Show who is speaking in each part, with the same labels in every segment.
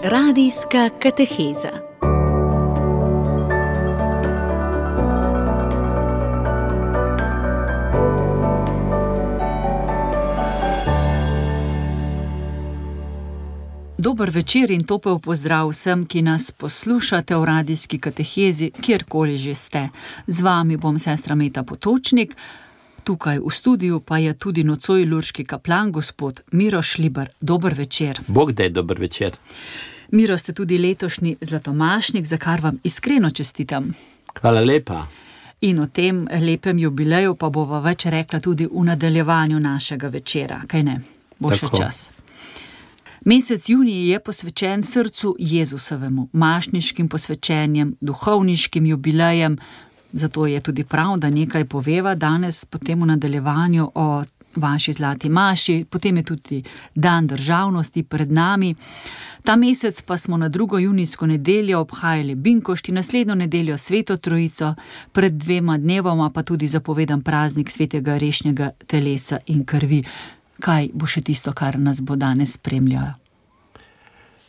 Speaker 1: Radijska kateheza. Dober večer in topel pozdrav vsem, ki nas poslušate v radijski katehezi, kjerkoli že ste. Z vami bom sestra Meta Potočnik. Tukaj v studiu pa je tudi nocoj lurški kaplan, gospod Miro Šlibar. Dober večer.
Speaker 2: Bog daj, dober večer.
Speaker 1: Miro, ste tudi letošnji zlatomašnik, za kar vam iskreno čestitam.
Speaker 2: Hvala lepa.
Speaker 1: In o tem lepem jubileju pa bova več rekla tudi v nadaljevanju našega večera, kaj ne? Bo še čas. Mesec junij je posvečen srcu Jezusovemu, mašniškim posvečenjem, duhovniškim jubilejem, zato je tudi prav, da nekaj poveva danes potem v nadaljevanju o vaši zlati maši, potem je tudi dan državnosti pred nami. Ta mesec pa smo na 2. junijsko nedeljo obhajali Binkošti, naslednjo nedeljo Sveto Trojico, pred 2 dnevoma pa tudi zapovedan praznik svetega rešnjega telesa in krvi. Kaj bo še tisto, kar nas bo danes spremljalo?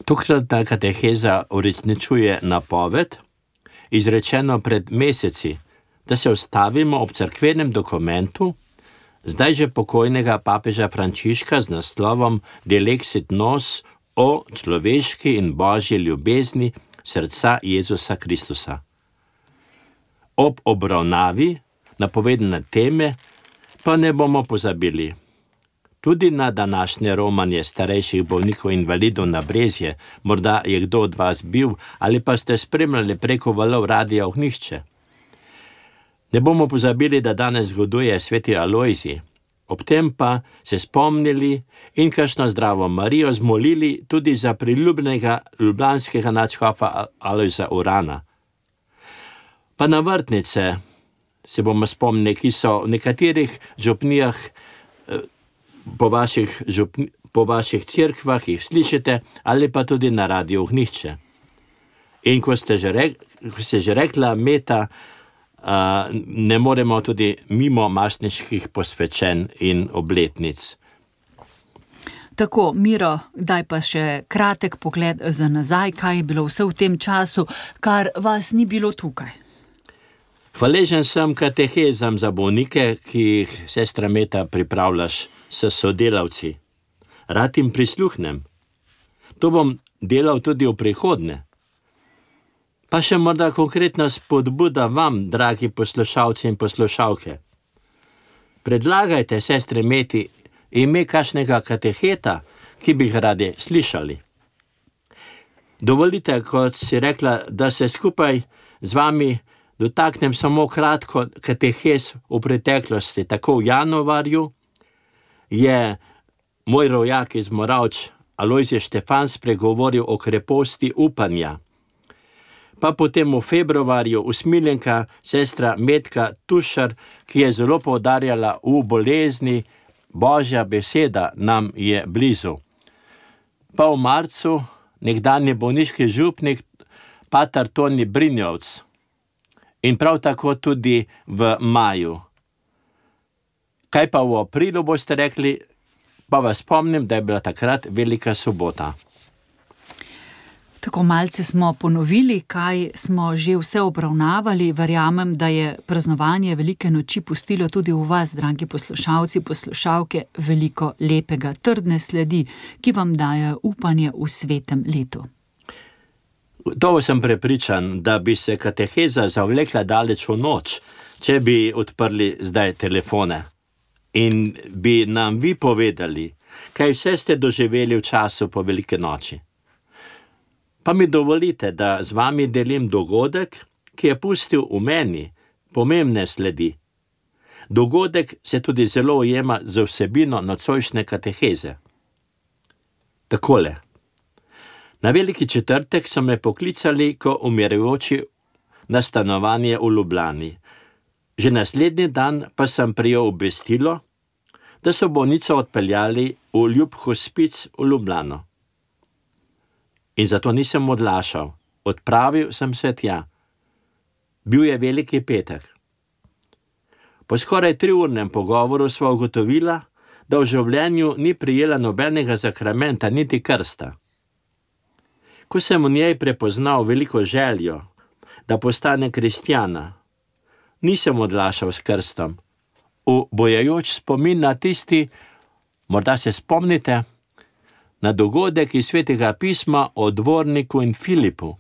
Speaker 2: Tokratna kateheza uresničuje napoved, izrečeno pred meseci, da se ustavimo ob cerkvenem dokumentu, zdaj že pokojnega papeža Frančiška z naslovom Dilexit nos o človeški in božji ljubezni srca Jezusa Kristusa. Ob obravnavi napovedane teme pa ne bomo pozabili tudi na današnje romanje starejših bolnikov invalidov na Brezje. Morda je kdo od vas bil ali pa ste spremljali preko valov Radia Ognjišče. Ne bomo pozabili, da danes zgoduje sveti Alojzij. Ob tem pa se spomnili in kakšno zdravo Marijo zmolili tudi za priljubljenega ljubljanskega nadškofa Alojza Urana. Pa na vrtnice se bomo spomnili, ki so v nekaterih župnijah po vaših cerkvah, jih slišite, ali pa tudi na Radiu Ognjišče. In ko ste že rekla, Meta, ne moremo tudi mimo mašniških posvečenj in obletnic.
Speaker 1: Tako, Miro, daj pa še kratek pogled za nazaj, kaj je bilo vse v tem času, kar vas ni bilo tukaj.
Speaker 2: Hvaležen sem katehezam za bolnike, ki jih, sestra Meta, pripravljaš s sodelavci. Rad jim prisluhnem. To bom delal tudi v prihodnje. Pa še morda konkretna spodbuda vam, dragi poslušalci in poslušalke. Predlagajte sestre Meti ime kakšnega kateheta, ki bi ga radi slišali. Dovolite, kot si rekla, da se skupaj z vami dotaknem samo kratko katehez v preteklosti. Tako v januarju je moj rojak iz Moravč, Alojzij Štefan, spregovoril o kreposti upanja. Pa potem v februarju usmiljenka sestra Metka Tušar, ki je zelo poudarjala v bolezni, Božja beseda nam je blizu. Pa v marcu nekdanji bolniški župnik pater Toni Brinjovc. In prav tako tudi v maju. Kaj pa v aprilu boste rekli? Pa vas spomnim, da je bila takrat velika sobota.
Speaker 1: Tako malce smo ponovili, kaj smo že vse obravnavali. Verjamem, da je praznovanje velike noči pustilo tudi v vas, dragi poslušalci, poslušalke, veliko lepega, trdne sledi, ki vam daje upanje v svetem letu.
Speaker 2: Gotovo sem prepričan, da bi se kateheza zavlekla daleč v noč, če bi odprli zdaj telefone in bi nam vi povedali, kaj vse ste doživeli v času po velike noči. Pa mi dovolite, da z vami delim dogodek, ki je pustil v meni pomembne sledi. Dogodek se tudi zelo ujema z vsebino nocojšnje kateheze. Takole. Na veliki četrtek so me poklicali, ko umirajoči na stanovanje v Ljubljani. Že naslednji dan pa sem prejel obvestilo, da so bolnico odpeljali v ljub hospic v Ljubljano. In zato nisem odlašal. Odpravil sem se tja. Bil je veliki petek. Po skoraj 3-urnem pogovoru sva ugotovila, da v življenju ni prijela nobenega zakramenta, niti krsta. Ko sem v njej prepoznal veliko željo, da postane kristjana, nisem odlašal s krstom, ubojajoč spomin na tisti, morda se spomnite, na dogodek iz Svetega pisma o dvorniku in Filipu.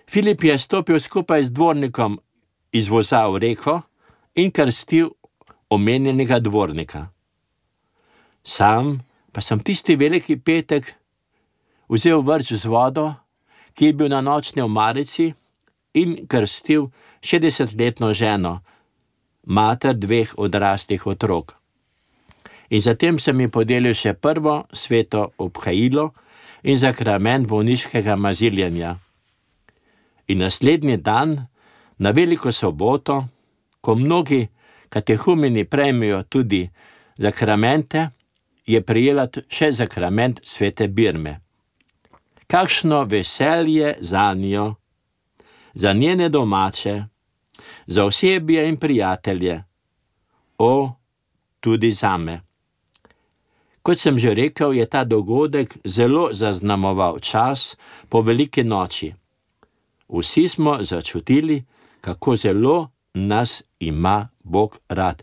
Speaker 2: Filip je stopil skupaj z dvornikom iz voza v reko in krstil omenjenega dvornika. Sam pa sem tisti veliki petek vzel vrč z vodo, ki je bil na nočni omarici, in krstil 60-letno ženo, mater 2 odraslih otrok. In zatem sem ji podelil še prvo sveto obhajilo in zakrament bolniškega maziljenja. In naslednji dan, na veliko soboto, ko mnogi katehumeni prejmejo tudi zakramente, je prijela še zakrament svete birme. Kakšno veselje zanjo, za njene domače, za osebje in prijatelje, tudi zame. Kot sem že rekel, je ta dogodek zelo zaznamoval čas po veliki noči. Vsi smo začutili, kako zelo nas ima Bog rad.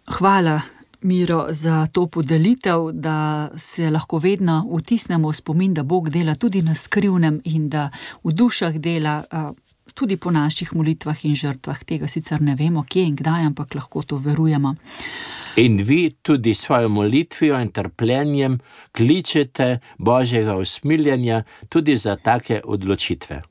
Speaker 1: Hvala, Miro, za to podelitev, da se lahko vedno vtisnemo v spomin, da Bog dela tudi na skrivnem in da v dušah dela tudi po naših molitvah in žrtvah. Tega sicer ne vemo, kje in kdaj, ampak lahko to verujemo.
Speaker 2: In vi tudi svojo molitvijo in trpljenjem kličete Božjega usmiljenja tudi za take odločitve.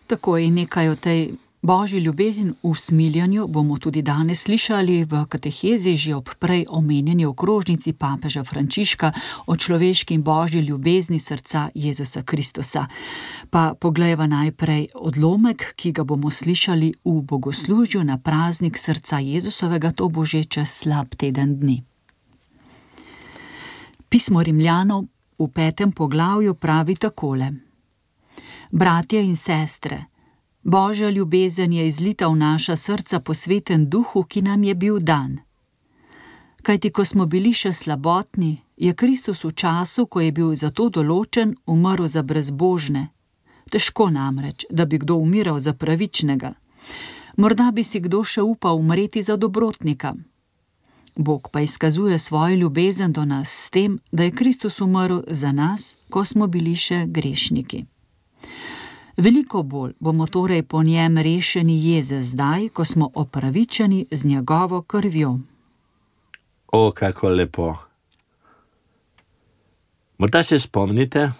Speaker 1: Tako je, nekaj o tej Božji ljubezni v usmiljanju bomo tudi danes slišali v katehezi že ob prej omenjeni okrožnici papeža Frančiška o človeški in Božji ljubezni srca Jezusa Kristusa. Pa poglejva najprej odlomek, ki ga bomo slišali v bogoslužju na praznik srca Jezusovega, to bo že čez slab teden dni. Pismo Rimljanov v 5. poglavju pravi takole: Bratje in sestre, Božja ljubezen je izlita v naša srca po Svetem Duhu, ki nam je bil dan. Kajti, ko smo bili še slabotni, je Kristus v času, ko je bil za to določen, umrl za brezbožne. Težko namreč, da bi kdo umiral za pravičnega. Morda bi si kdo še upal umreti za dobrotnika. Bog pa izkazuje svojo ljubezen do nas s tem, da je Kristus umrl za nas, ko smo bili še grešniki. Veliko bolj bomo torej po njem rešeni jeze zdaj, ko smo opravičeni z njegovo krvjo.
Speaker 2: Kako lepo. Morda se spomnite,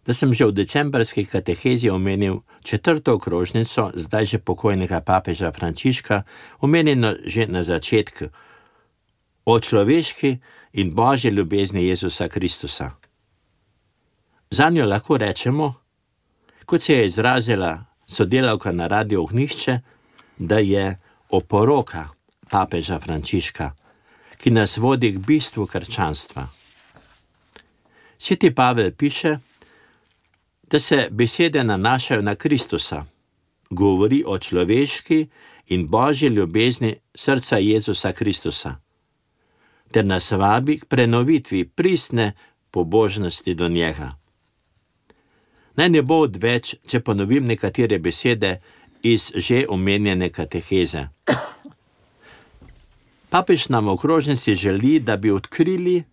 Speaker 2: da sem že v decembrski katehezi omenil 4. okrožnico, zdaj že pokojnega papeža Frančiška, omenjeno že na začetku, o človeški in Božji ljubezni Jezusa Kristusa. Zanjo lahko rečemo, kot se je izrazila sodelavka na Radiu Ognjišče, da je oporoka papeža Frančiška, ki nas vodi k bistvu krščanstva. Sveti Pavel piše, da se besede nanašajo na Kristusa, govori o človeški in Božji ljubezni srca Jezusa Kristusa, ter nas vabi k prenovitvi pristne pobožnosti do njega. Naj ne bo odveč, če ponovim nekatere besede iz že omenjene kateheze. Papež nam v okrožnici želi, da bi odkrili,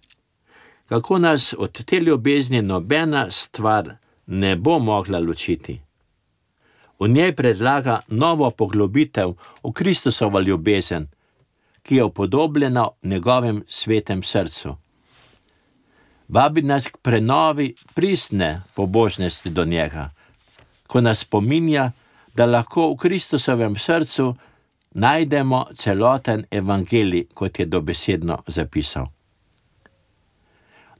Speaker 2: kako nas od te ljubezni nobena stvar ne bo mogla ločiti. V njej predlaga novo poglobitev v Kristusovo ljubezen, ki je upodobljena v njegovem svetem srcu. Vabi nas k prenovi pristne pobožnosti do njega, ko nas spominja, da lahko v Kristusovem srcu najdemo celoten evangelij, kot je dobesedno zapisal.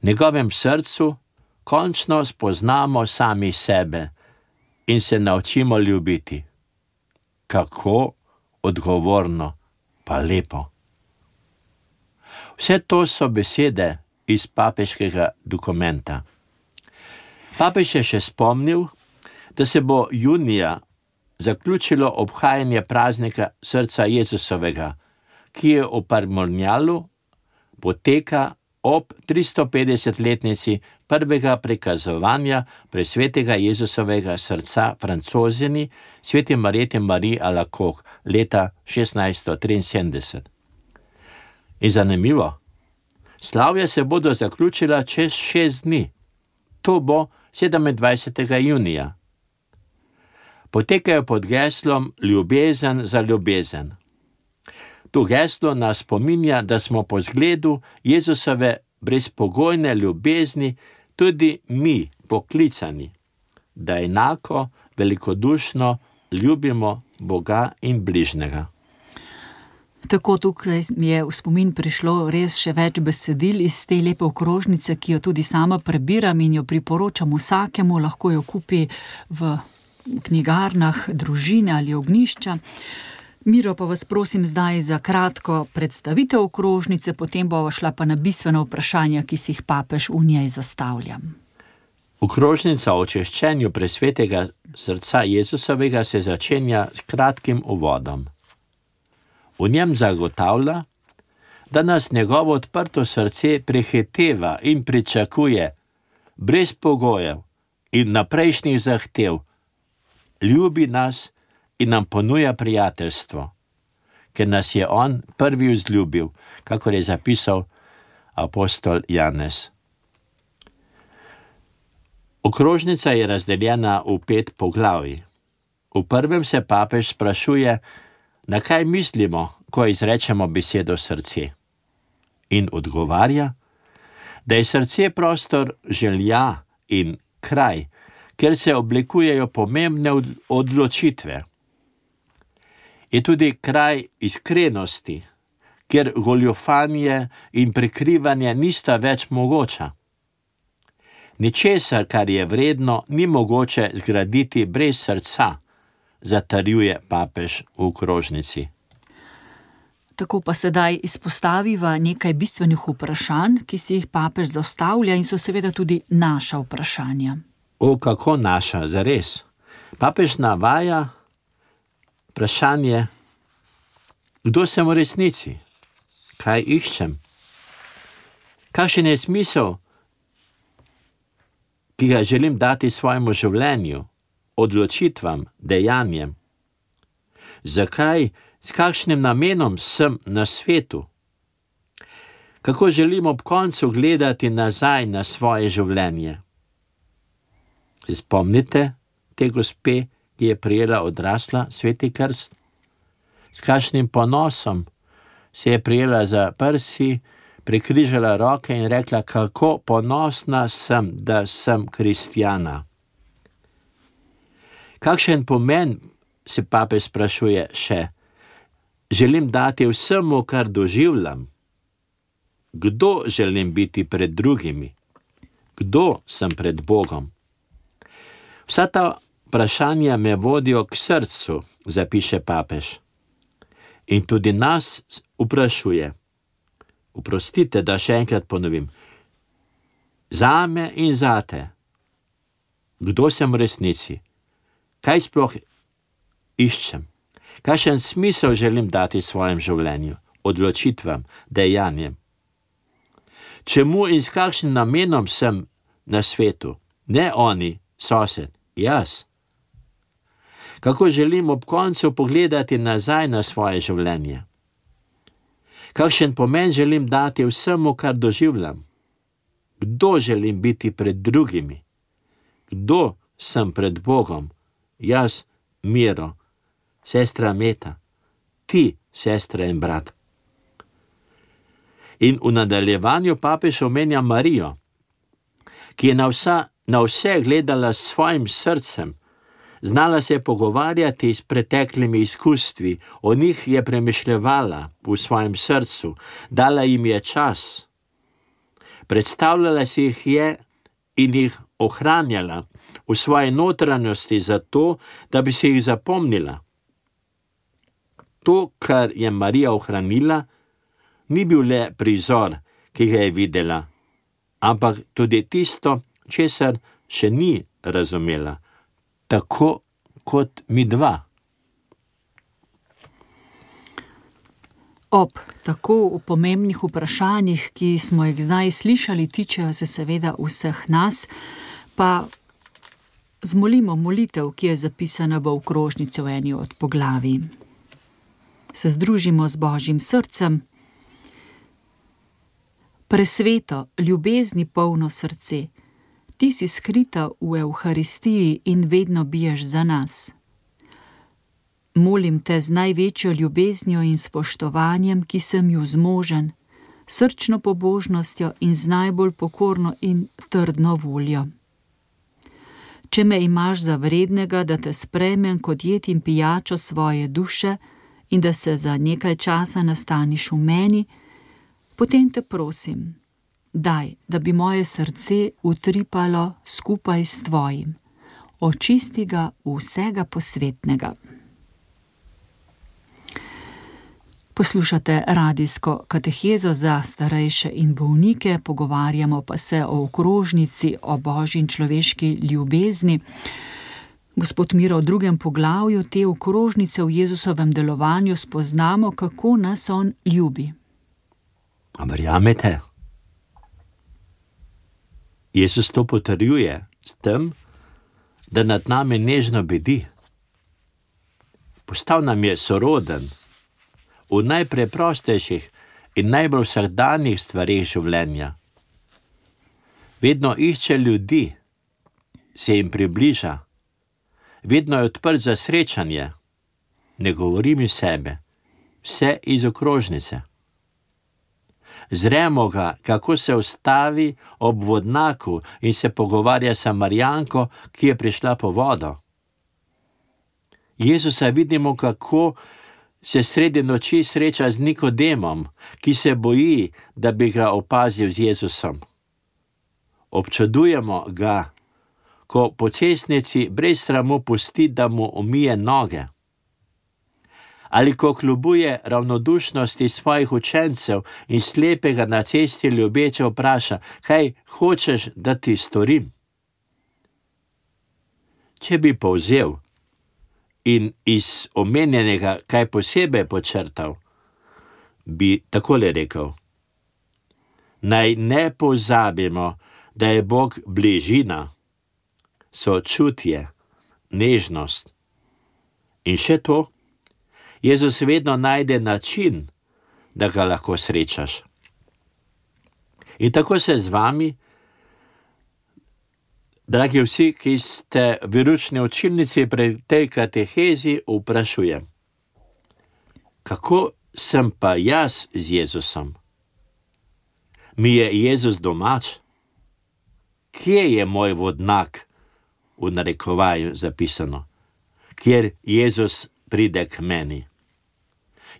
Speaker 2: V njegovem srcu končno spoznamo sami sebe in se naučimo ljubiti. Kako odgovorno, pa lepo. Vse to so besede iz papeškega dokumenta. Papež je še spomnil, da se bo junija zaključilo obhajanje praznika srca Jezusovega, ki je v Parmornjalu poteka ob 350-letnici prvega prikazovanja presvetega Jezusovega srca Francozini sveti Marjeti Marie Alacoque leta 1673. In zanimivo, slavja se bodo zaključila čez 6 dni. To bo 27. junija. Potekajo pod geslom Ljubezen za ljubezen. To geslo nas spominja, da smo po zgledu Jezusove brezpogojne ljubezni tudi mi poklicani, da enako velikodušno ljubimo Boga in bližnjega.
Speaker 1: Tako tukaj mi je v spomin prišlo res še več besedil iz te lepe okrožnice, ki jo tudi sama prebiram in jo priporočam vsakemu, lahko jo kupi v knjigarnah družine ali ognjišča. Miro, pa vas prosim zdaj za kratko predstavitev okrožnice, potem bova šla pa na bistvena vprašanja, ki si jih papež v njej zastavlja.
Speaker 2: Okrožnica o češčenju presvetega srca Jezusovega se začenja s kratkim uvodom. V njem zagotavlja, da nas njegovo odprto srce prehiteva in pričakuje brez pogojev in naprejšnjih zahtev, ljubi nas in nam ponuja prijateljstvo, ker nas je on prvi vzljubil, kakor je zapisal apostol Janez. Okrožnica je razdeljena v 5 poglavij. V prvem se papež sprašuje, na kaj mislimo, ko izrečemo besedo srce. In odgovarja, da je srce prostor želja in kraj, kjer se oblikujejo pomembne odločitve. Je tudi kraj iskrenosti, kjer goljufanje in prikrivanje nista več mogoča. Ničesar, kar je vredno, ni mogoče zgraditi brez srca, zatrjuje papež v okrožnici.
Speaker 1: Tako pa sedaj izpostaviva nekaj bistvenih vprašanj, ki si jih papež zastavlja in so seveda tudi naša vprašanja.
Speaker 2: Kako naša, zares? Papež navaja vprašanje, kdo sem v resnici? Kaj iščem? Kakšen je smisel, ki ga želim dati svojemu življenju, odločitvam, dejanjem? Zakaj, s kakšnim namenom sem na svetu? Kako želim ob koncu gledati nazaj na svoje življenje? Se spomnite te gospe, ki je prijela odrasla sveti krst? S kakšnim ponosom se je prijela za prsi, prekrižala roke in rekla, kako ponosna sem, da sem kristjana. Kakšen pomen, se papež sprašuje še, želim dati vsemu, kar doživljam? Kdo želim biti pred drugimi? Kdo sem pred Bogom? Vsa ta vprašanja me vodijo k srcu, zapiše papež. In tudi nas vprašuje. Oprostite, da še enkrat ponovim. Zame in zate. Kdo sem v resnici? Kaj sploh iščem? Kakšen smisel želim dati svojem življenju, odločitvam, dejanjem? Čemu in s kakšnim namenom sem na svetu? Ne oni, sosed, jaz. Kako želim ob koncu pogledati nazaj na svoje življenje? Kakšen pomen želim dati vsemu, kar doživljam? Kdo želim biti pred drugimi? Kdo sem pred Bogom? Jaz, Miro, sestra Meta, ti, sestra in brat. In v nadaljevanju papež omenja Marijo, ki je na vse gledala s svojim srcem, znala se pogovarjati s preteklimi izkustvi, o njih je premišljevala v svojem srcu, dala jim je čas. Predstavljala si jih je in jih ohranjala v svoji notranjosti zato, da bi si jih zapomnila. To, kar je Marija ohranila, ni bil le prizor, ki ga je videla, ampak tudi tisto, česar še ni razumela, tako kot mi dva.
Speaker 1: Ob tako pomembnih vprašanjih, ki smo jih zdaj slišali, tičejo se seveda vseh nas, pa zmolimo molitev, ki je zapisana v okrožnici v eni od poglavij. Se združimo z Božjim srcem. Presveto, ljubezni polno srce, ti si skrita v Evharistiji in vedno biješ za nas. Molim te z največjo ljubeznijo in spoštovanjem, ki sem ju zmožen, srčno pobožnostjo in z najbolj pokorno in trdno voljo. Če me imaš za vrednega, da te sprejmem kot jed in pijačo svoje duše in da se za nekaj časa nastaniš v meni, potem te prosim, daj, da bi moje srce utripalo skupaj s tvojim. Očisti ga vsega posvetnega. Poslušate radijsko katehezo za starejše in bolnike, pogovarjamo pa se o okrožnici, o Božji in človeški ljubezni. Gospod Miro, v 2. poglavju te okrožnice v Jezusovem delovanju spoznamo, kako nas on ljubi.
Speaker 2: A verjamete? Jezus to potrjuje s tem, da nad nami nežno bedi. Postal nam je soroden v najpreprostejših in najbolj vsakdanjih stvareh življenja. Vedno išče ljudi, se jim približa, vedno je odprt za srečanje, ne govorim iz sebe, vse iz okrožnice. Zremo ga, kako se ustavi ob vodnaku in se pogovarja s Samarijanko, ki je prišla po vodo. Jezusa vidimo, kako se sredi noči sreča z Nikodemom, ki se boji, da bi ga opazil z Jezusom. Občudujemo ga, ko po cestnici brez sramu pusti, da mu umije noge. Ali ko kljubuje ravnodušnosti svojih učencev in slepega na cesti ljubeče vpraša, kaj hočeš, da ti storim? Če bi povzel in iz omenjenega kaj posebej počrtal, bi takole rekel: naj ne pozabimo, da je Bog bližina, sočutje, nežnost. In še to, Jezus vedno najde način, da ga lahko srečaš. In tako se z vami, dragi vsi, ki ste v veroučni učilnici pri tej katehezi, vprašujem: kako sem pa jaz z Jezusom? Mi je Jezus domač? Kje je moj vodnak, v narekovaju zapisano, kjer Jezus pride k meni?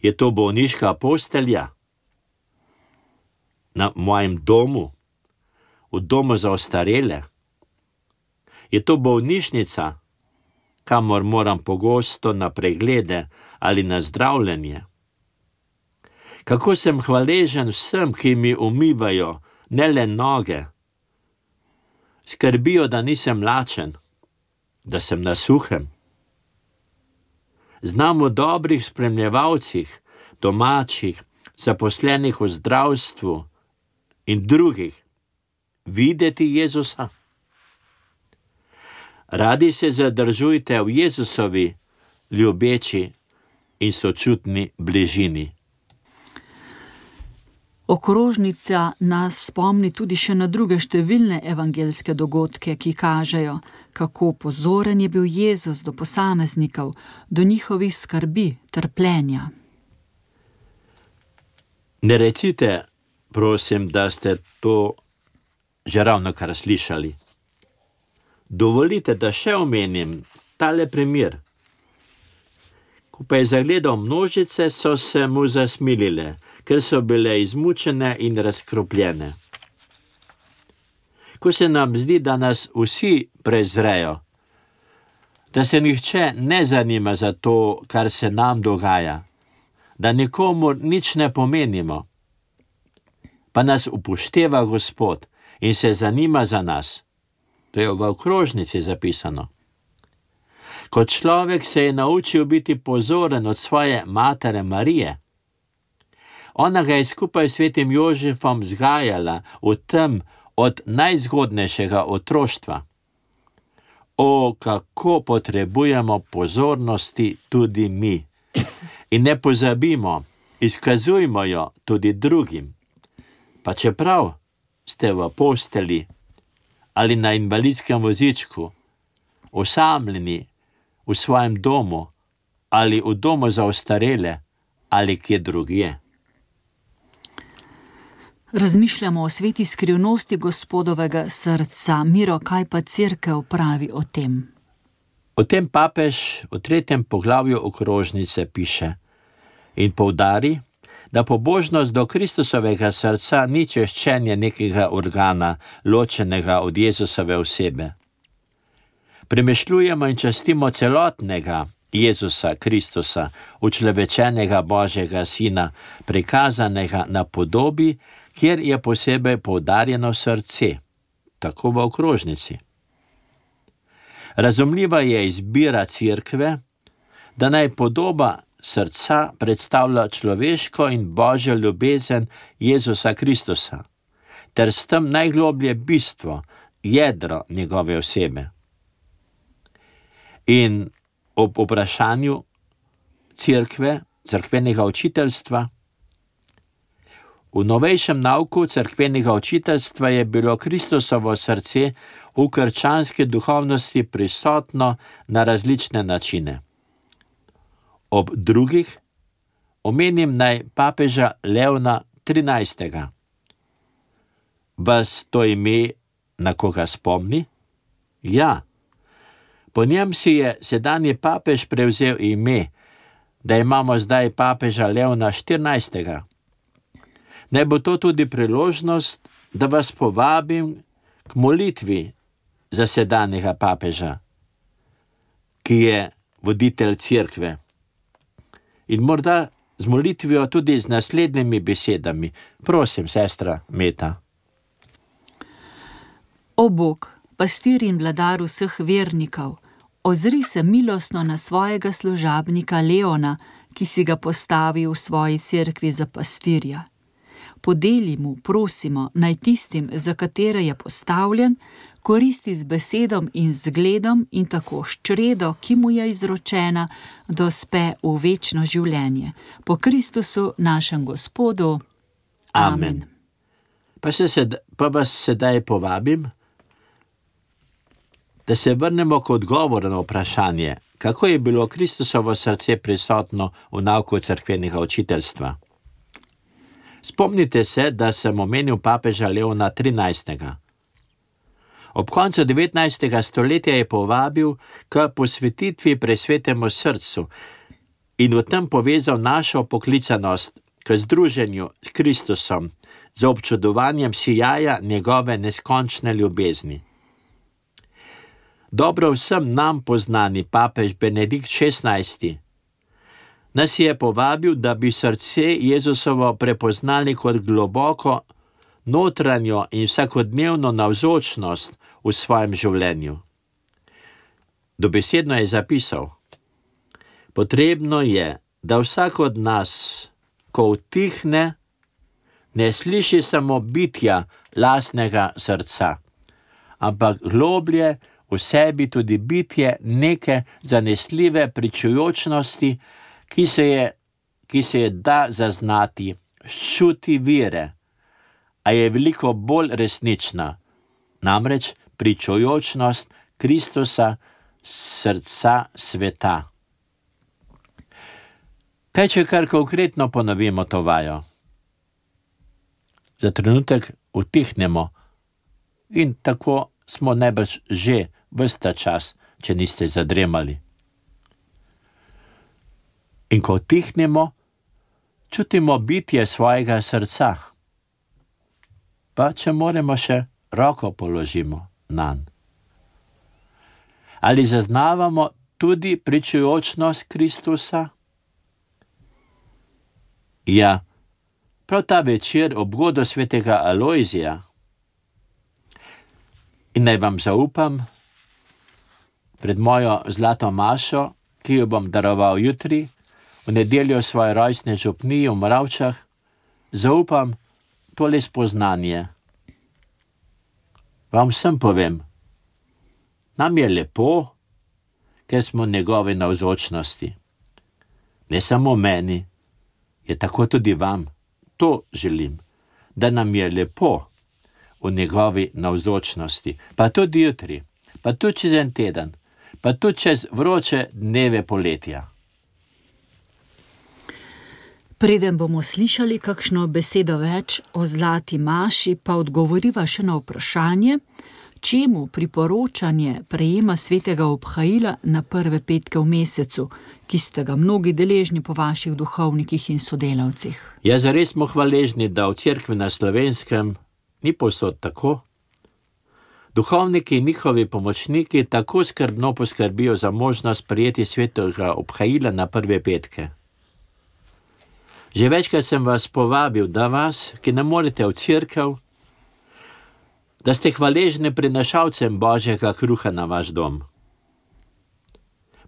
Speaker 2: Je to bolniška postelja? Na mojem domu? V domu za ostarele? Je to bolnišnica, kamor moram pogosto na preglede ali na zdravljenje? Kako sem hvaležen vsem, ki mi umivajo, ne le noge, skrbijo, da nisem lačen, da sem na suhem. Znam o dobrih spremljevalcih, domačih, zaposlenih v zdravstvu in drugih videti Jezusa. Radi se zadržujte v Jezusovi ljubeči in sočutni bližini.
Speaker 1: Okrožnica nas spomni tudi še na druge številne evangeljske dogodke, ki kažejo, kako pozoren je bil Jezus do posameznikov, do njihovih skrbi, trpljenja.
Speaker 2: Ne recite, prosim, da ste to že ravnokar slišali. Dovolite, da še omenim tale primer. Ko pa je zagledal množice, so se mu zasmilile, ker so bile izmučene in razkropljene. Ko se nam zdi, da nas vsi prezrejo, da se nihče ne zanima za to, kar se nam dogaja, da nikomu nič ne pomenimo, pa nas upošteva Gospod in se zanima za nas. To je v okrožnici zapisano. Kot človek se je naučil biti pozoren od svoje matere Marije. Ona ga je skupaj s svetim Jožefom vzgajala v tem od najzgodnejšega otroštva. O, kako potrebujemo pozornosti tudi mi. In ne pozabimo, izkazujmo jo tudi drugim. Pa čeprav ste v posteli ali na invalidskem vozičku, osamljeni v svojem domu ali v domu za ostarele ali kje drugje.
Speaker 1: Razmišljamo o sveti skrivnosti Gospodovega srca. Miro, kaj pa Cerkev pravi o tem?
Speaker 2: O tem papež v 3. poglavju okrožnice piše in poudari, da pobožnost do Kristusovega srca ni češčenje nekega organa, ločenega od Jezusove osebe. Premišljujemo in častimo celotnega Jezusa Kristusa, učlovečenega Božjega Sina, prikazanega na podobi, kjer je posebej poudarjeno srce, tako v okrožnici. Razumljiva je izbira Cerkve, da naj podoba srca predstavlja človeško in Božjo ljubezen Jezusa Kristusa, ter s tem najgloblje bistvo, jedro njegove osebe. In ob vprašanju Cerkve, cerkvenega učiteljstva, v novejšem nauku cerkvenega učiteljstva je bilo Kristusovo srce v krščanski duhovnosti prisotno na različne načine. Ob drugih omenim naj papeža Leona XIII. Vas to ime na koga spomni? Ja, po njem si je sedanji papež prevzel ime, da imamo zdaj papeža Leona XIV. Naj bo to tudi priložnost, da vas povabim k molitvi za sedanjega papeža, ki je voditelj Cerkve. In morda z molitvijo tudi z naslednjimi besedami. Prosim, sestra Meta.
Speaker 1: O Bog, pastir in vladar vseh vernikov, ozri se milostno na svojega služabnika Leona, ki si ga postavi v svoji cerkvi za pastirja. Podeli mu, prosimo, naj tistim, za katere je postavljen, koristi z besedom in zgledom in tako s čredo, ki mu je izročena, dospe v večno življenje. Po Kristusu, našem Gospodu. Amen.
Speaker 2: Pa vas sedaj povabim, da se vrnemo k odgovoru na vprašanje, kako je bilo Kristusovo srce prisotno v nauku cerkvenega učiteljstva. Spomnite se, da sem omenil papeža Leona XIII. Ob koncu 19. stoletja je povabil k posvetitvi presvetemu srcu in v tem povezal našo poklicanost k združenju s Kristusom za občudovanjem sijaja njegove neskončne ljubezni. Dobro vsem nam poznani papež Benedikt XVI nas je povabil, da bi srce Jezusovo prepoznali kot globoko, notranjo in vsakodnevno navzočnost v svojem življenju. Dobesedno je zapisal: potrebno je, da vsak od nas, ko utihne, ne sliši samo bitja lastnega srca, ampak globlje v sebi tudi bitje neke zanesljive pričujočnosti, ki se je da zaznati, čuti vire, a je veliko bolj resnična, namreč pričujočnost Kristusa, srca sveta. Kaj če kar konkretno ponovimo to vajo? Za trenutek utihnemo in tako smo najbrž že ves ta čas, če niste zadremali. In ko utihnemo, čutimo bitje svojega srca. Pa če moremo še roko položimo nanj. Ali zaznavamo tudi pričujočnost Kristusa? Ja, prav ta večer ob godu svetega Alojzija. In naj vam zaupam, pred mojo zlato mašo, ki jo bom daroval jutri, v nedeljo svoje rojstne župniji v Moravčah, zaupam tole spoznanje. Vam vsem povem, nam je lepo, ker smo njegove navzočnosti. Ne samo meni, je tako tudi vam. To želim, da nam je lepo v njegovi navzočnosti, pa tudi jutri, pa tudi čez en teden, pa tudi čez vroče dneve poletja.
Speaker 1: Preden bomo slišali kakšno besedo več o zlati maši, pa odgovoriva še na vprašanje, čemu priporočanje prejema svetega obhajila na prve petke v mesecu, ki ste ga mnogi deležni po vaših duhovnikih in sodelavcih.
Speaker 2: Ja, zares smo hvaležni, da v cerkvi na Slovenskem ni povsod tako. Duhovniki in njihovi pomočniki tako skrbno poskrbijo za možnost prijeti svetega obhajila na prve petke. Že večkrat sem vas povabil, da vas, ki ne morete v cerkev, da ste hvaležni prinašalcem Božjega kruha na vaš dom.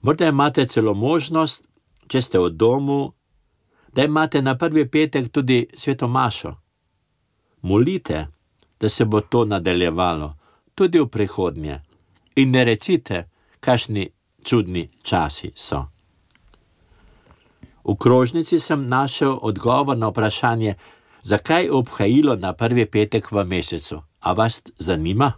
Speaker 2: Morda imate celo možnost, če ste v domu, da imate na prvi petek tudi sveto mašo. Molite, da se bo to nadaljevalo, tudi v prihodnje. In ne recite, kakšni čudni časi so. V krožnici sem našel odgovor na vprašanje, zakaj obhajilo na prvi petek v mesecu. A vas zanima?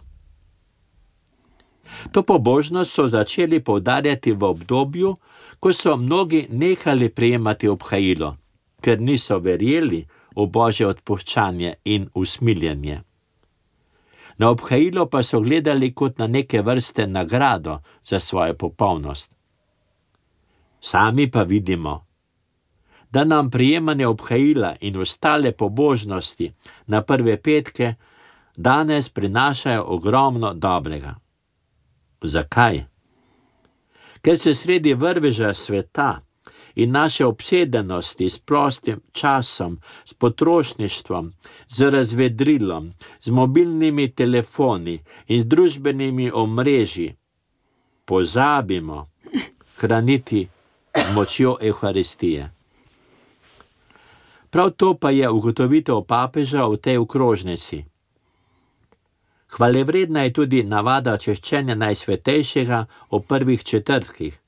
Speaker 2: To pobožnost so začeli poudarjati v obdobju, ko so mnogi nehali prejemati obhajilo, ker niso verjeli v Božje odpuščanje in usmiljenje. Na obhajilo pa so gledali kot na neke vrste nagrado za svojo popolnost. Sami pa vidimo, da nam prejemanje obhajila in ostale pobožnosti na prve petke danes prinašajo ogromno dobrega. Zakaj? Ker se sredi vrveža sveta in naše obsedenosti s prostim časom, s potrošništvom, z razvedrilom, z mobilnimi telefoni in z družbenimi omrežji pozabimo hraniti močjo Evharistije. Prav to pa je ugotovitev papeža v tej okrožnici. Hvalevredna je tudi navada češčenja Najsvetejšega o prvih četrtkih.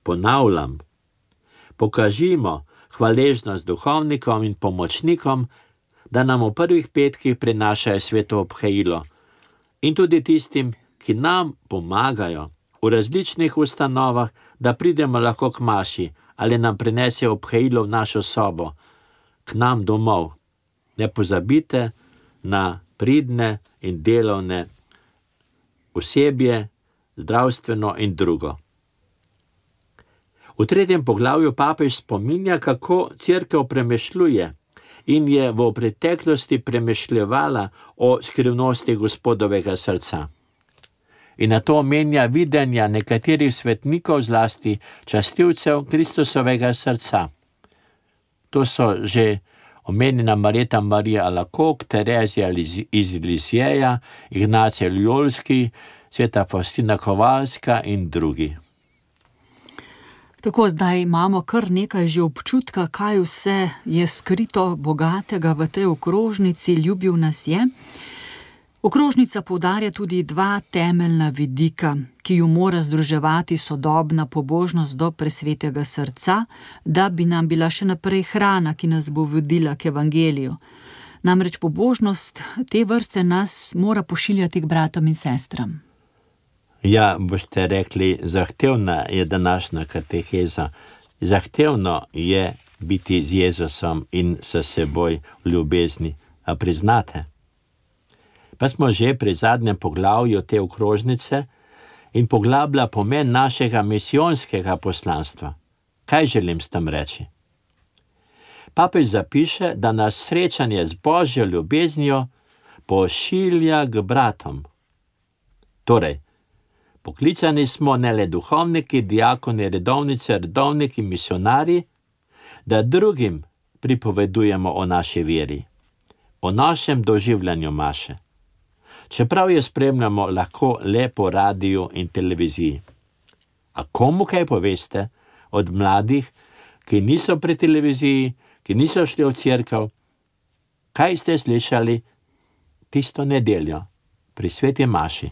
Speaker 2: Ponavljam, pokažimo hvaležnost duhovnikom in pomočnikom, da nam v prvih petkih prinašajo sveto obhajilo in tudi tistim, ki nam pomagajo v različnih ustanovah, da pridemo lahko k maši ali nam prinesejo obhajilo v našo sobo, k nam domov. Ne pozabite na pridne in delovne osebje, zdravstveno in drugo. V 3. poglavju papež spominja, kako cerkev premišljuje in je v preteklosti premišljevala o skrivnosti Gospodovega srca. In na to omenja videnja nekaterih svetnikov, zlasti častilcev Kristusovega srca. To so že omenjena Marjeta Marija Alakok, Terezija iz Lisijeja, Ignacija Ljolski, sveta Faustina Kovalska in drugi.
Speaker 1: Tako zdaj imamo kar nekaj že občutka, kaj vse je skrito bogatega v tej okrožnici, ljubil nas je. Okrožnica poudarja tudi dva temeljna vidika, ki ju mora združevati sodobna pobožnost do presvetega srca, da bi nam bila še naprej hrana, ki nas bo vodila k evangeliju. Namreč pobožnost te vrste nas mora pošiljati k bratom in sestram.
Speaker 2: Ja, boste rekli, zahtevna je današnja kateheza. Zahtevno je biti z Jezusom in s seboj v ljubezni. A priznate? Pa smo že pri zadnjem poglavju te okrožnice in poglablja pomen našega misijonskega poslanstva. Kaj želim s tem reči? Papež zapiše, da nas srečanje z Božjo ljubeznijo pošilja k bratom. Torej, poklicani smo ne le duhovniki, diakoni, redovnice, redovniki, misionarji, da drugim pripovedujemo o naši veri, o našem doživljanju maše. Čeprav jo spremljamo lahko le po radiju in televiziji. A komu kaj poveste od mladih, ki niso pri televiziji, ki niso šli v cerkev, kaj ste slišali tisto nedeljo pri sveti maši.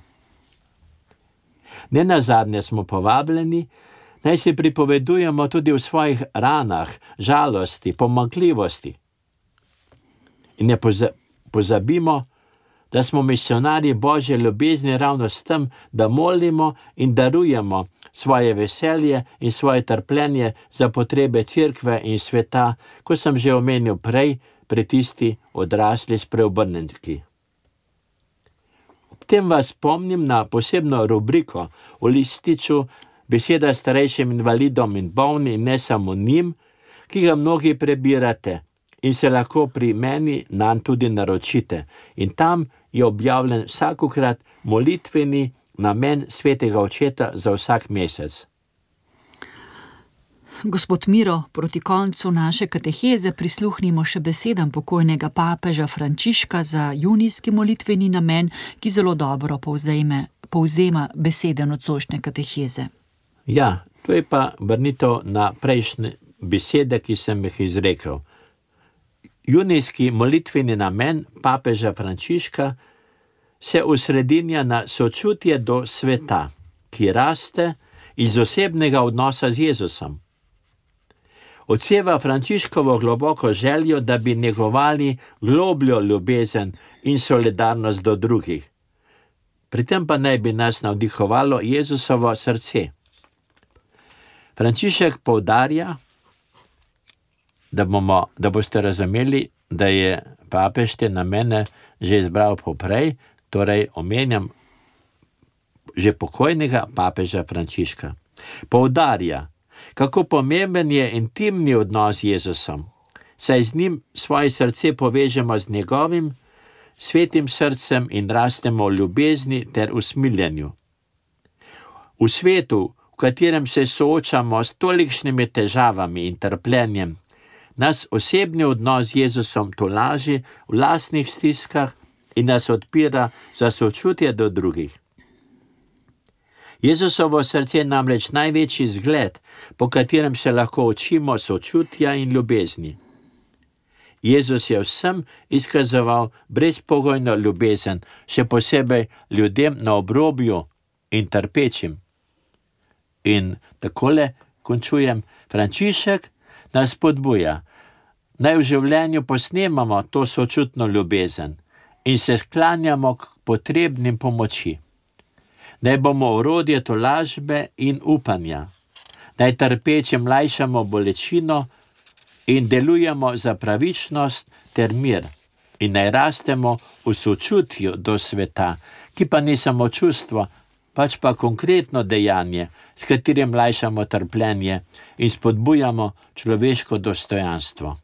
Speaker 2: Nenazadnje smo povabljeni, naj si pripovedujemo tudi o svojih ranah, žalosti, pomanjkljivosti. In ne pozabimo, da smo misionarji Božje ljubezni ravno s tem, da molimo in darujemo svoje veselje in svoje trpljenje za potrebe cerkve in sveta, kot sem že omenil prej, pri tisti odrasli spreobrnenki. Ob tem vas spomnim na posebno rubriko v lističu Beseda starejšim invalidom in bolnim in ne samo njim, ki ga mnogi prebirate in se lahko pri meni nanj tudi naročite. In tam je objavljen vsakokrat molitveni namen svetega očeta za vsak mesec.
Speaker 1: Gospod Miro, proti koncu naše kateheze prisluhnimo še besedam pokojnega papeža Frančiška za junijski molitveni namen, ki zelo dobro povzema besede nocojšnje kateheze.
Speaker 2: Ja, to je pa vrnitev na prejšnje besede, ki sem jih izrekel. Junijski molitveni namen papeža Frančiška se osredinja na sočutje do sveta, ki raste iz osebnega odnosa z Jezusom. Odseva Frančiškovo globoko željo, da bi negovali globljo ljubezen in solidarnost do drugih. Pri tem pa naj bi nas navdihovalo Jezusovo srce. Frančišek poudarja, da boste razumeli, da je papež te namene že izbral poprej, torej omenjam že pokojnega papeža Frančiška. Poudarja, kako pomemben je intimni odnos z Jezusom, saj z njim svoje srce povežemo z njegovim svetim srcem in rastemo v ljubezni ter usmiljenju. V svetu, v katerem se soočamo s tolikšnimi težavami in trpljenjem, nas osebni odnos z Jezusom tolaži v lastnih stiskah in nas odpira za sočutje do drugih. Jezusovo srce je namreč največji zgled, po katerem se lahko učimo sočutja in ljubezni. Jezus je vsem izkazoval brezpogojno ljubezen, še posebej ljudem na obrobju in trpečim. In takole končujem, Frančišek nas spodbuja, naj v življenju posnemamo to sočutno ljubezen in se sklanjamo k potrebnim pomoči. Naj bomo orodje tolažbe in upanja, naj trpečim lajšamo bolečino in delujemo za pravičnost ter mir in naj rastemo v sočutju do sveta, ki pa ni samo čustvo, pač pa konkretno dejanje, s katerim lajšamo trpljenje in spodbujamo človeško dostojanstvo.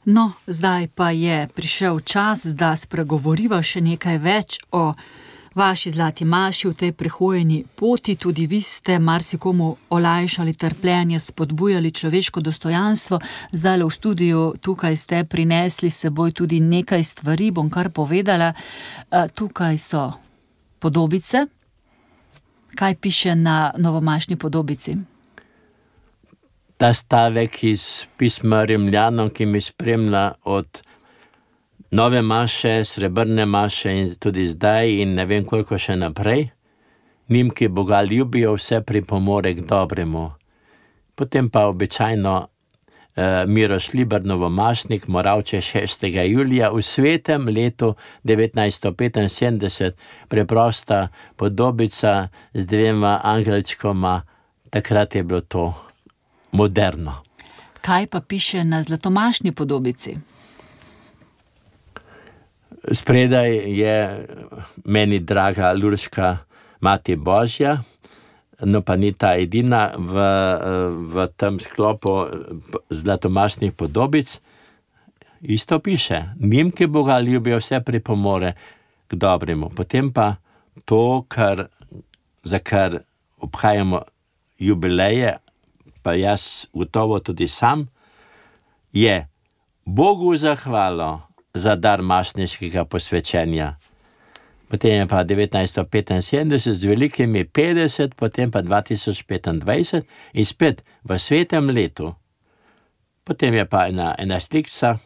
Speaker 1: No, zdaj pa je prišel čas, da spregovoriva še nekaj več o vaši zlati maši v tej prehojeni poti. Tudi vi ste marsikomu olajšali trpljenje, spodbujali človeško dostojanstvo. Zdaj v studiu tukaj ste prinesli s seboj tudi nekaj stvari, bom kar povedala. Tukaj so podobice. Kaj piše na novomašni podobici?
Speaker 2: Ta stavek iz pisma Rimljanom, ki mi spremlja od nove maše, srebrne maše in tudi zdaj in ne vem koliko še naprej. Njim, ki Boga ljubijo, vse pripomore k dobremu. Potem pa običajno Miro Šliber, novomašnik, Moravče 6. julija v svetem letu 1975, preprosta podobica z dvema angelčkoma, takrat je bilo to moderno.
Speaker 1: Kaj pa piše na zlatomašni podobici?
Speaker 2: Spredaj je meni draga Lurška Mati Božja, no pa ni ta edina v tem sklopu zlatomašnih podobic. Isto piše, njim, ki Boga ljubijo, vse pripomore k dobremu. Potem pa to, za kar obhajamo jubileje, pa jaz gotovo tudi sam, je Bogu zahvalo za dar mašniškega posvečenja. Potem je pa 1975 z velikimi 50, potem pa 2025 in spet v svetem letu. Potem je pa ena slikca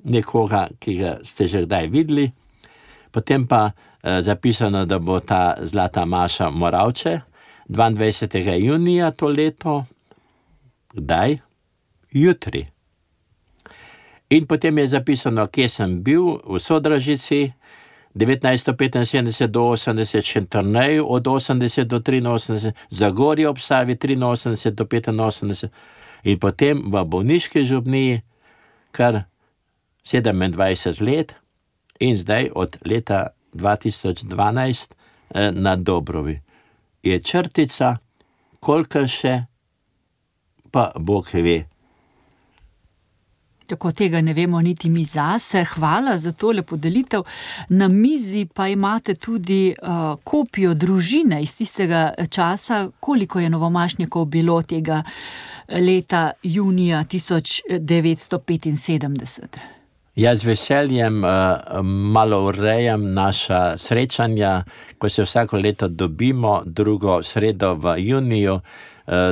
Speaker 2: nekoga, ki ga ste že kdaj videli. Potem pa zapisano, da bo ta Zlata Maša Moravče 22. junija to leto. Kdaj? Jutri. In potem je zapisano, kje sem bil, v Sodražici, 1975 do 80, Šentjerneju od 80 do 83, Zagorje ob Savi 83 do 85 in potem v bolniški župniji kar 27 let in zdaj od leta 2012 na Dobrovi. Je črtica, koliko še, pa Bog ve.
Speaker 1: Tako tega ne vemo niti mi zase. Hvala za tole podelitev. Na mizi pa imate tudi kopijo družine iz tistega časa, koliko je novomašnikov bilo tega leta junija 1975.
Speaker 2: Jaz z veseljem malo urejam naša srečanja, ko se vsako leto dobimo, drugo sredo v juniju.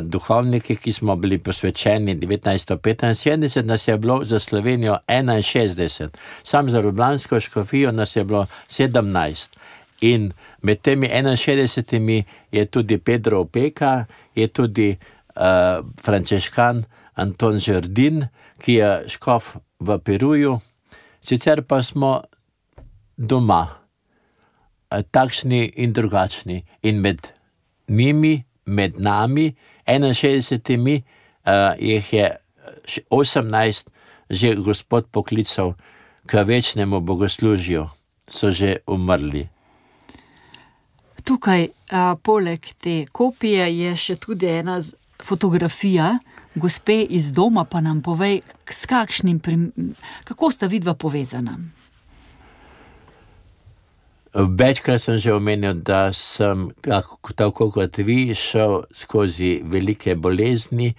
Speaker 2: Duhovniki, ki smo bili posvečeni 1975, nas je bilo za Slovenijo 61. Sam za Ljubljansko škofijo nas je bilo 17. In med temi 61 je tudi Pedro Opeka, je tudi frančeškan Anton Žerdin, ki je škof v Peruju. Sicer pa smo doma, takšni in drugačni. In med njimi, med nami, 61, jih je 18 že Gospod poklical k večnemu bogoslužju, so že umrli.
Speaker 1: Tukaj, poleg te kopije, je še tudi ena fotografija gospe iz doma, pa nam povej, kako sta vidva povezana?
Speaker 2: Večkrat sem že omenil, da sem, tako kot vi, šel skozi velike bolezni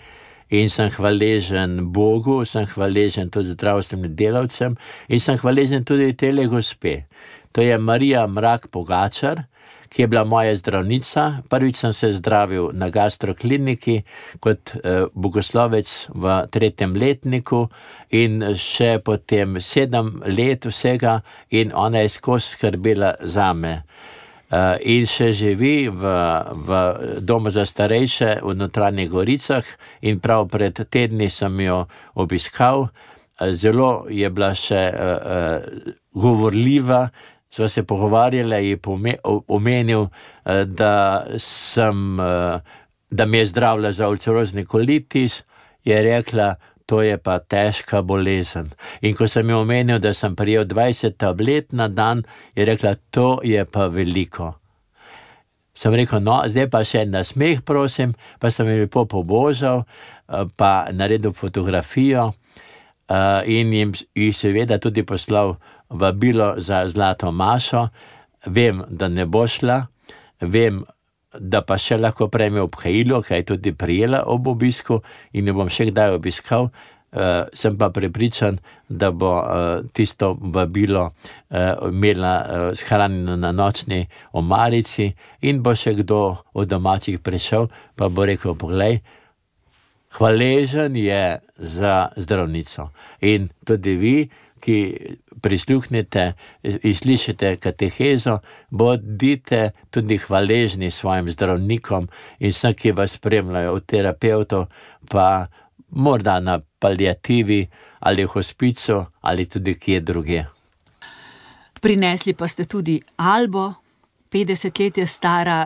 Speaker 2: in sem hvaležen Bogu, sem hvaležen tudi zdravstvenim delavcem in sem hvaležen tudi tele gospe. To je Marija Mrak Pogačar, ki je bila moja zdravnica. Prvič sem se zdravil na gastrokliniki kot bogoslovec v 3. letniku in še potem 7 let vsega in ona je skozi skrbela zame. In še živi v domu za starejše v Notranjih Goricah in prav pred tedni sem jo obiskal. Zelo je bila še govorljiva, sva se pogovarjala in omenil, da mi je zdravila za ulcerozni kolitis, je rekla, to je pa težka bolezen. In ko sem jo omenil, da sem prijel 20 tablet na dan, je rekla, to je pa veliko. Sem rekel, no, zdaj pa še en nasmeh, prosim, pa sem jo lepo pobožal, pa naredil fotografijo in jim seveda tudi poslal vabilo za Zlato Mašo. Vem, da ne bo šla, vem, da pa še lahko prejme obhajilo, kaj je tudi prijela ob obisku in jo bom še kdaj obiskal. Sem pa prepričan, da bo tisto vabilo imela shranjeno na nočni omarici in bo še kdo od domačih prišel, pa bo rekel, poglej, hvaležen je za zdravnico. In tudi vi, ki prisluhnete in slišite katehezo, bodite tudi hvaležni svojim zdravnikom in vsem, ki vas spremljajo, od terapevtov, pa morda na paliativi ali v hospicu ali tudi kje druge.
Speaker 1: Prinesli pa ste tudi Albo, 50 let je stara,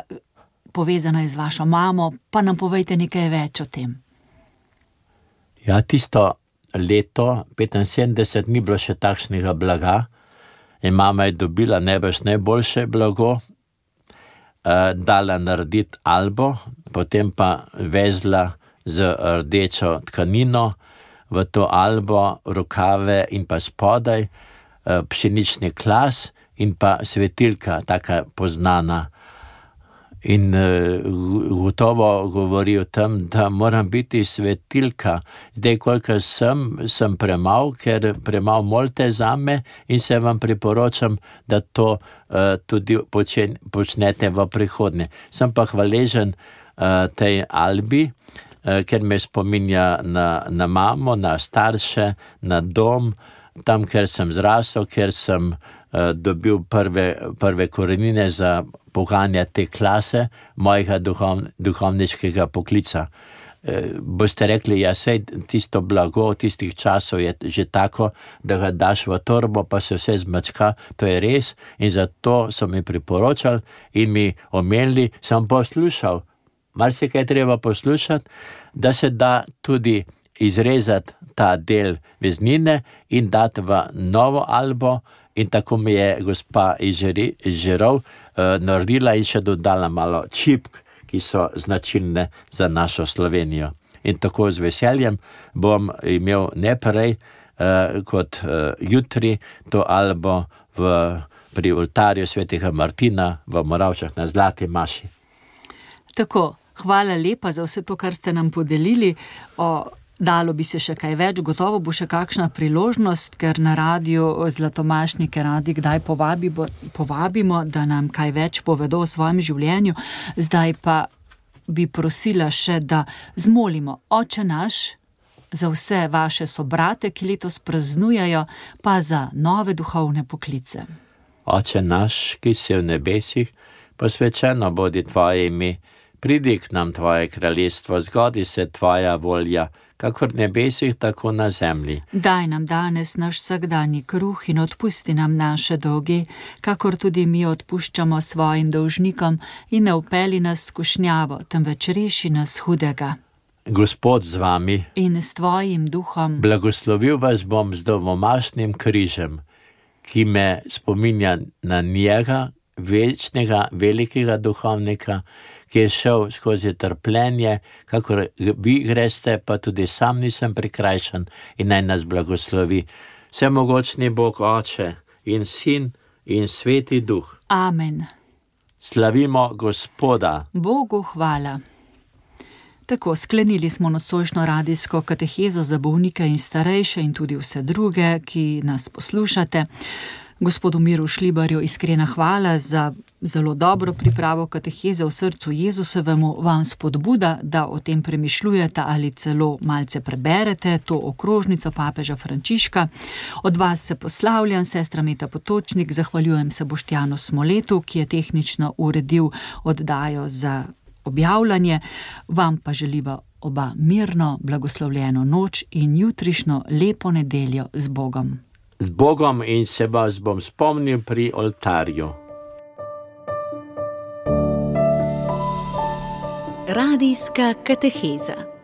Speaker 1: povezana je z vašo mamo, pa nam povejte nekaj več o tem.
Speaker 2: Ja, tisto leto 75 ni bilo še takšnega blaga in mama je dobila najboljše blago, dala narediti Albo, potem pa vezla z rdečo tkanino v to Albo rokave in pa spodaj pšenični klas in pa svetilka, taka poznana. In gotovo govori o tem, da moram biti svetilka. Zdaj, koliko sem premal, ker premal molte zame in se vam priporočam, da to tudi počnete v prihodnje. Sem pa hvaležen tej Albi, ker me spominja na mamo, na starše, na dom, tam, ker sem zrasel, ker sem dobil prve korenine za poganja te klase mojega duhovniškega poklica. Boste rekli, ja, sej tisto blago tistih časov je že tako, da ga daš v torbo, pa se vse zmačka, to je res, in zato so mi priporočali in mi omenili, sem poslušal, marsikaj treba poslušati, da se da tudi izrezati ta del veznine in dati v novo albo, in tako mi je gospa iz Žirov naredila in še dodala malo čipk, ki so značilne za našo Slovenijo. In tako z veseljem bom imel ne prej kot jutri to albo pri oltarju svetega Martina v Moravčah na Zlati maši.
Speaker 1: Tako, hvala lepa za vse to, kar ste nam podelili. Dalo bi se še kaj več, gotovo bo še kakšna priložnost, ker na radiju zlatomašnike radi kdaj povabimo, da nam kaj več povedo o svojem življenju. Zdaj pa bi prosila še, da zmolimo Oče naš za vse vaše sobrate, ki letos praznujejo, pa za nove duhovne poklice.
Speaker 2: Oče naš, ki si v nebesih, posvečeno bodi tvoje ime, pridi k nam tvoje kraljestvo, zgodi se tvoja volja, kakor v nebesih, tako na zemlji.
Speaker 1: Daj nam danes naš vsakdanji kruh in odpusti nam naše dolge, kakor tudi mi odpuščamo svojim dolžnikom, in ne vpelji nas v skušnjavo, temveč reši nas hudega.
Speaker 2: Gospod z vami
Speaker 1: in s tvojim duhom.
Speaker 2: Blagoslovil vas bom z domomašnim križem, ki me spominja na njega, večnega, velikega duhovnika, ki je šel skozi trpljenje, kakor vi greste, pa tudi sam nisem prikrajšan, in naj nas blagoslovi vsemogočni Bog Oče in Sin in Sveti Duh.
Speaker 1: Amen.
Speaker 2: Slavimo Gospoda.
Speaker 1: Bogu hvala. Tako, sklenili smo nocojšnjo radijsko katehezo za bolnike in starejše in tudi vse druge, ki nas poslušate. Gospodu Miru Šlibarju iskrena hvala za zelo dobro pripravo kateheze v srcu Jezusovemu, vam spodbuda, da o tem premišljujete ali celo malce preberete to okrožnico papeža Frančiška. Od vas se poslavljam, sestra Meta Potočnik, zahvaljujem se Boštjanu Smoletu, ki je tehnično uredil oddajo za objavljanje. Vam pa želiva oba mirno, blagoslovljeno noč in jutrišnjo lepo nedeljo z Bogom.
Speaker 2: Z Bogom, in se vas bom spomnil pri oltarju.
Speaker 3: Radijska kateheza.